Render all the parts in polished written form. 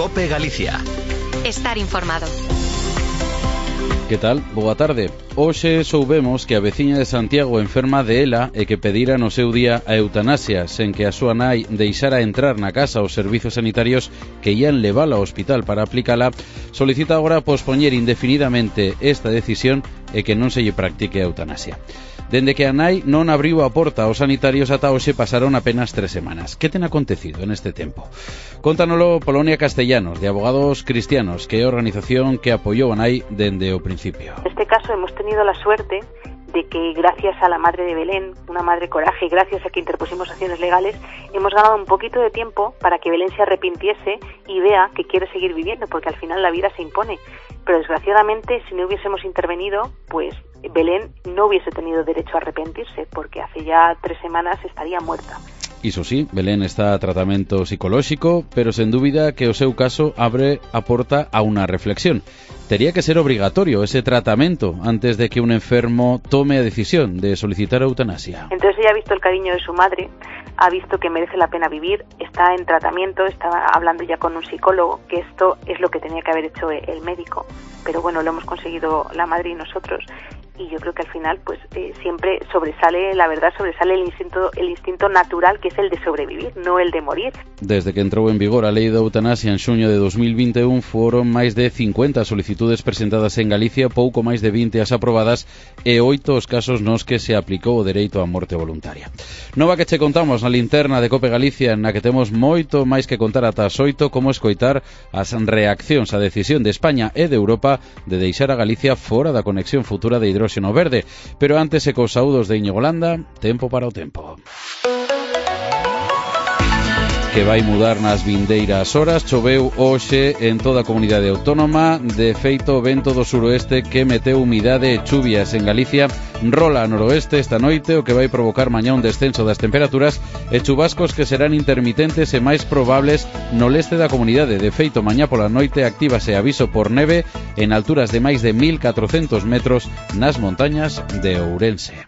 COPE Galicia. Estar informado. Que tal? Boa tarde. Hoxe soubemos que a veciña de Santiago enferma de ELA e que pedira no seu día a eutanasia, sen que a súa nai deixara entrar na casa os servizos sanitarios que ían levala ao hospital para aplicala, solicita agora pospoñer indefinidamente esta decisión e que non se lle practique a eutanasia. Dende que a nai non abriu a porta aos sanitarios ata hoxe pasaron apenas 3 semanas. Que ten acontecido en este tempo? Contanolo Polonia Castellanos, de Abogados Cristianos, que é a organización que apoiou a nai dende o principio. En este caso hemos tenido la suerte de que gracias a la madre de Belén, una madre coraje, y gracias a que interpusimos acciones legales, hemos ganado un poquito de tiempo para que Belén se arrepintiese y vea que quiere seguir viviendo, porque al final la vida se impone. Pero desgraciadamente, si no hubiésemos intervenido, pues Belén no hubiese tenido derecho a arrepentirse, porque hace ya 3 semanas estaría muerta. Iso sí, Belén está a tratamento psicolóxico, pero sen dúbida que o seu caso abre a porta a unha reflexión. Tería que ser obrigatorio ese tratamento antes de que un enfermo tome a decisión de solicitar eutanasia. Entonces ella ha visto el cariño de su madre, ha visto que merece la pena vivir, está en tratamiento, está hablando ya con un psicólogo, que esto es lo que tenía que haber hecho el médico. Pero bueno, lo hemos conseguido la madre y nosotros. Y yo creo que al final pues siempre sobresale, la verdad, sobresale el instinto natural, que es el de sobrevivir, no el de morir. Desde que entrou en vigor a lei da eutanasia en xuño de 2021 foron máis de 50 solicitudes presentadas en Galicia, pouco máis de 20 as aprobadas e 8 os casos nos que se aplicou o dereito á morte voluntaria. Nova que che contamos na linterna de COPE Galicia, na que temos moito máis que contar ata as 8, como escoitar as reaccións á decisión de España e de Europa de deixar a Galicia fora da conexión futura de hidróxeno verde. Pero antes e cos saúdos de Íñigo Landa, tempo para o tempo. Que vai mudar nas vindeiras horas. Choveu hoxe en toda a comunidade autónoma. De feito, o vento do suroeste que meteu humidade e chuvias en Galicia rola a noroeste esta noite, o que vai provocar mañá un descenso das temperaturas e chubascos que serán intermitentes e máis probables no leste da comunidade. De feito, mañá pola noite actívase aviso por neve en alturas de máis de 1.400 metros nas montañas de Ourense.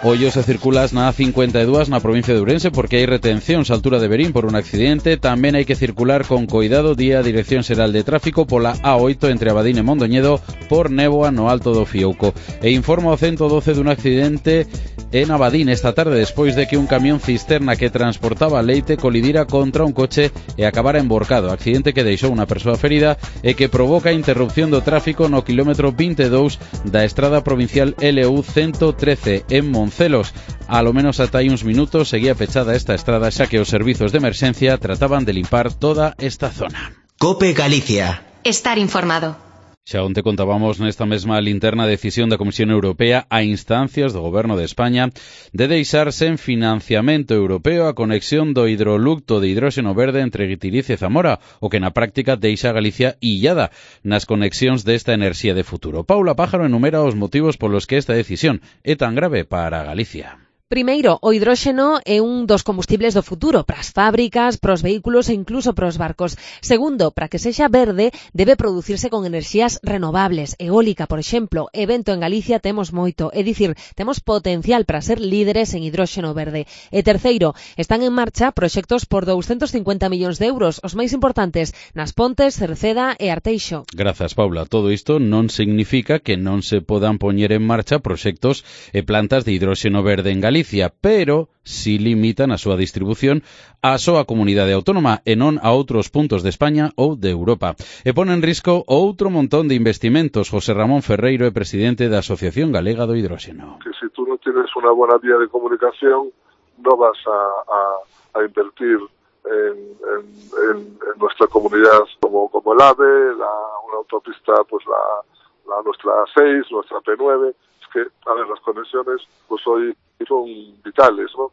Ollo se circulas na A52 na provincia de Ourense porque hai retencións á altura de Verín por un accidente. Tamén hai que circular con coidado día a Dirección Xeral de Tráfico pola A8 entre Abadín e Mondoñedo por néboa no Alto do Fiouco. E informa o 112 dun accidente en Abadín esta tarde despois de que un camión cisterna que transportaba leite colidira contra un coche e acabara emborcado. Accidente que deixou unha persoa ferida e que provoca a interrupción do tráfico no quilómetro 22 da estrada provincial LU 113 en Moncelos. A lo menos ata hai uns minutos seguía pechada esta estrada xa que os servizos de emerxencia trataban de limpar toda esta zona. COPE Galicia. Estar informado. Xa onte contábamos nesta mesma linterna decisión da Comisión Europea a instancias do Goberno de España de deixar sen financiamento europeo a conexión do hidroducto de hidróxeno verde entre Guitiriz e Zamora, o que na práctica deixa a Galicia illada nas conexións desta enerxía de futuro. Paula Pájaro enumera os motivos polos que esta decisión é tan grave para Galicia. Primeiro, o hidróxeno é un dos combustibles do futuro para as fábricas, para os vehículos e incluso para os barcos. Segundo, para que sexa verde, debe producirse con enerxías renovables. Eólica, por exemplo, e vento en Galicia temos moito. É dicir, temos potencial para ser líderes en hidróxeno verde. E terceiro, están en marcha proxectos por 250 millóns de euros, os máis importantes nas Pontes, Cerceda e Arteixo. Grazas, Paula. Todo isto non significa que non se podan poñer en marcha proxectos e plantas de hidróxeno verde en Galicia, pero si limitan a súa distribución á súa comunidade autónoma e non a outros puntos de España ou de Europa. E pon en risco outro montón de investimentos. José Ramón Ferreiro é presidente da Asociación Galega do Hidróxeno. Que si tú no tienes una buena vía de comunicación, no vas a invertir en nuestra comunidad como el AVE, una autopista, pues la nuestra 6, nuestra P9. Es que, a ver, las conexiones pues hoy son vitales, ¿no?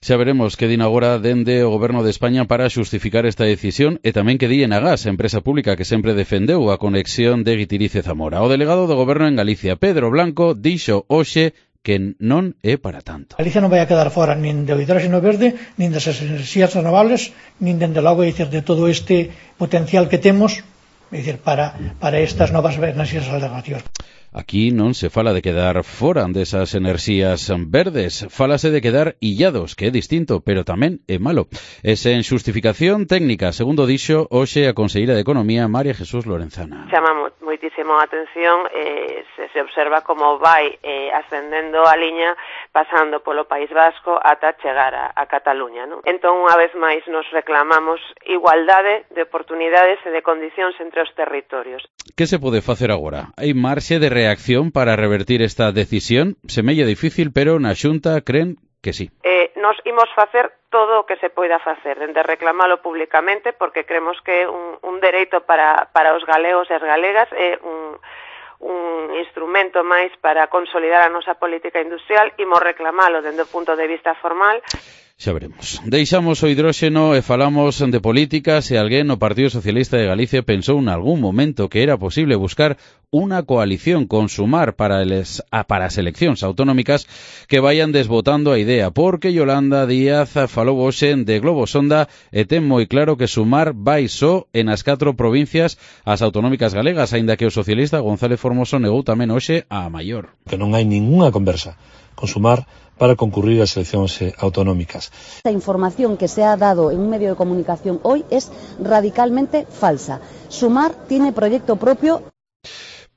Xa veremos que din agora dende o Goberno de España para xustificar esta decisión e tamén que di Enagás, a empresa pública que sempre defendeu a conexión de Guitiriz e Zamora. O delegado do Goberno en Galicia, Pedro Blanco, dixo hoxe que non é para tanto. Galicia non vai a quedar fora nin do hidróxeno verde, nin das enerxías renovables, nin dende logo de todo este potencial que temos, é dicir, para estas novas enerxías alternativas. Aquí non se fala de quedar fora desas enerxías verdes, fálase de quedar illados, que é distinto, pero tamén é malo. E sen xustificación técnica, segundo dixo hoxe a conselleira de Economía, María Jesús Lorenzana. Chama moitísimo a atención, se observa como vai ascendendo a liña, pasando polo País Vasco ata chegar a Cataluña, non? Entón, unha vez máis, nos reclamamos igualdade de oportunidades e de condicións entre os territorios. Que se pode facer agora? Hai marxe de reacción para revertir esta decisión? Semella difícil, pero na Xunta creen que sí. Nos imos facer todo o que se poida facer, dende reclamalo públicamente, porque creemos que é un dereito para os galegos e as galegas, é un instrumento máis para consolidar a nosa política industrial, imos reclamalo dende o punto de vista formal. Xa veremos. Deixamos o hidróxeno e falamos de política. Se alguén no Partido Socialista de Galicia pensou en algún momento que era posible buscar unha coalición con Sumar para as eleccións autonómicas, que vayan desbotando a idea, porque Yolanda Díaz falou hoxe de Globo Sonda e ten moi claro que Sumar vai só en as 4 provincias as autonómicas galegas, aínda que o socialista González Formoso negou tamén hoxe a Maior. Que non hai ningunha conversa con Sumar para concurrir ás eleccións autonómicas. La información que se ha dado en un medio de comunicación hoy es radicalmente falsa. Sumar tiene proyecto propio.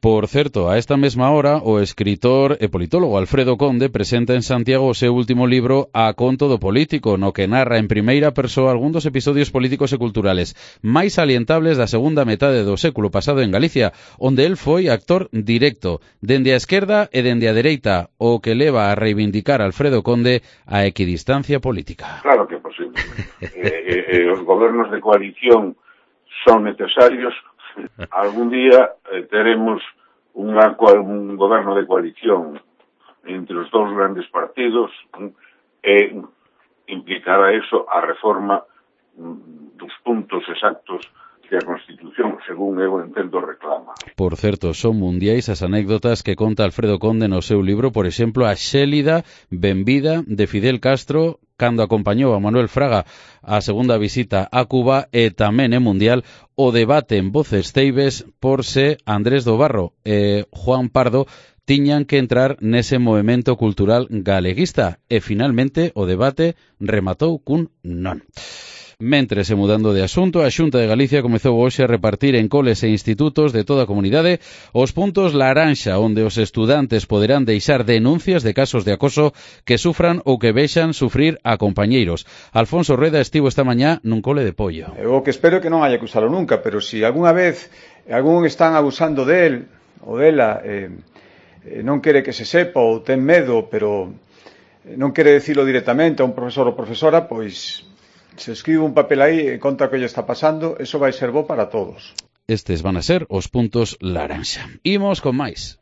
Por certo, a esta mesma hora, o escritor e politólogo Alfredo Conde presenta en Santiago o seu último libro A conto do político, no que narra en primeira persoa algún dos episodios políticos e culturales máis salientables da segunda metade do século pasado en Galicia, onde el foi actor directo, dende a esquerda e dende a dereita, o que leva a reivindicar Alfredo Conde a equidistancia política. Claro que é posible. Os gobernos de coalición son necesarios. Algún día teremos un goberno de coalición entre os dous grandes partidos e implicará eso a reforma dos puntos exactos que a Constitución, según eu entendo, reclama. Por certo, son mundiais as anécdotas que conta Alfredo Conde no seu libro, por exemplo, a xélida benvida de Fidel Castro cando acompañou a Manuel Fraga a segunda visita a Cuba, e tamén é mundial o debate en Voces Ceibes por se Andrés do Barro e Juan Pardo tiñan que entrar nese movemento cultural galeguista, e finalmente o debate rematou cun non. Mentres, e mudando de asunto, a Xunta de Galicia comezou hoxe a repartir en coles e institutos de toda a comunidade os puntos laranxa, onde os estudantes poderán deixar denuncias de casos de acoso que sufran ou que vexan sufrir a compañeiros. Alfonso Rueda estivo esta mañá nun cole de Pollo. O que espero que non haya que usalo nunca, pero si algunha vez algún están abusando del ou dela, non quere que se sepa ou ten medo, pero non quere dicilo directamente a un profesor ou profesora, pois se escribe un papel aí e conta que lle está pasando, eso vai ser bo para todos. Estes van a ser os puntos laranxa. Imos con máis.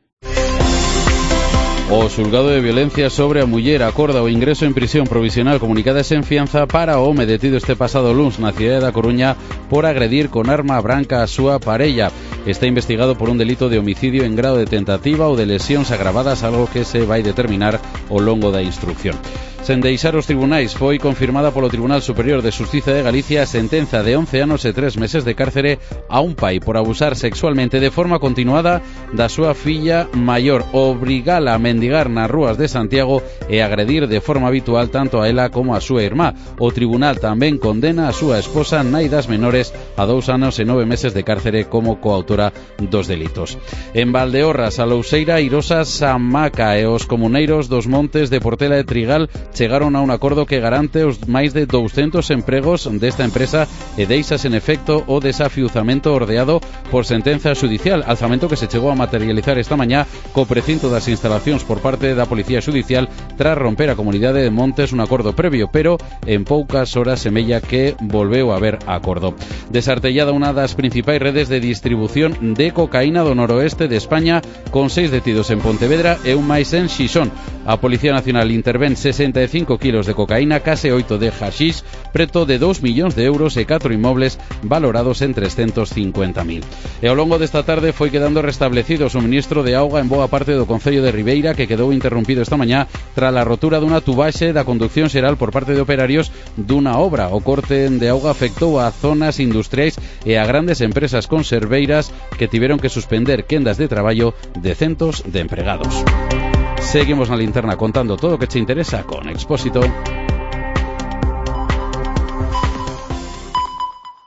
O xulgado de violencia sobre a muller acorda o ingreso en prisión provisional comunicada sen fianza para o home detido este pasado luns na cidade da Coruña por agredir con arma branca a súa parella. Está investigado por un delito de homicidio en grado de tentativa ou de lesións agravadas, algo que se vai determinar ao longo da instrucción. Sen deixar os tribunais, foi confirmada polo Tribunal Superior de Xustiza de Galicia a sentenza de 11 anos e 3 meses de cárcere a un pai por abusar sexualmente de forma continuada da súa filla maior, obrigala a mendigar nas rúas de Santiago e agredir de forma habitual tanto a ela como a súa irmá. O tribunal tamén condena a súa esposa, nai das menores, a 2 anos e 9 meses de cárcere como coautora dos delitos. En Valdeorras, a Louseira, Irosa, Samaca e os comuneiros dos montes de Portela e Trigal chegaron a un acordo que garante os máis de 200 empregos desta empresa e deixas en efecto o desafiuzamento ordeado por sentenza xudicial, alzamento que se chegou a materializar esta mañá co precinto das instalacións por parte da Policía Xudicial tras romper a comunidade de Montes un acordo previo, pero en poucas horas semella que volveu a haber acordo. Desartellada unha das principais redes de distribución de cocaína do noroeste de España, con 6 detidos en Pontevedra e un máis en Xixón. A Policía Nacional intervén 67 35 kilos de cocaína, case 8 de haxish, preto de 2 millóns de euros e 4 inmobles valorados en 350.000. E ao longo desta tarde foi quedando restablecido o suministro de auga en boa parte do concello de Ribeira, que quedou interrompido esta mañá tras a rotura dunha tubaxe da conducción xeral por parte de operarios dunha obra. O corte de auga afectou a zonas industriais e a grandes empresas conserveiras que tiveron que suspender quendas de traballo de centos de empregados. Seguimos na linterna contando todo o que che interesa con Expósito.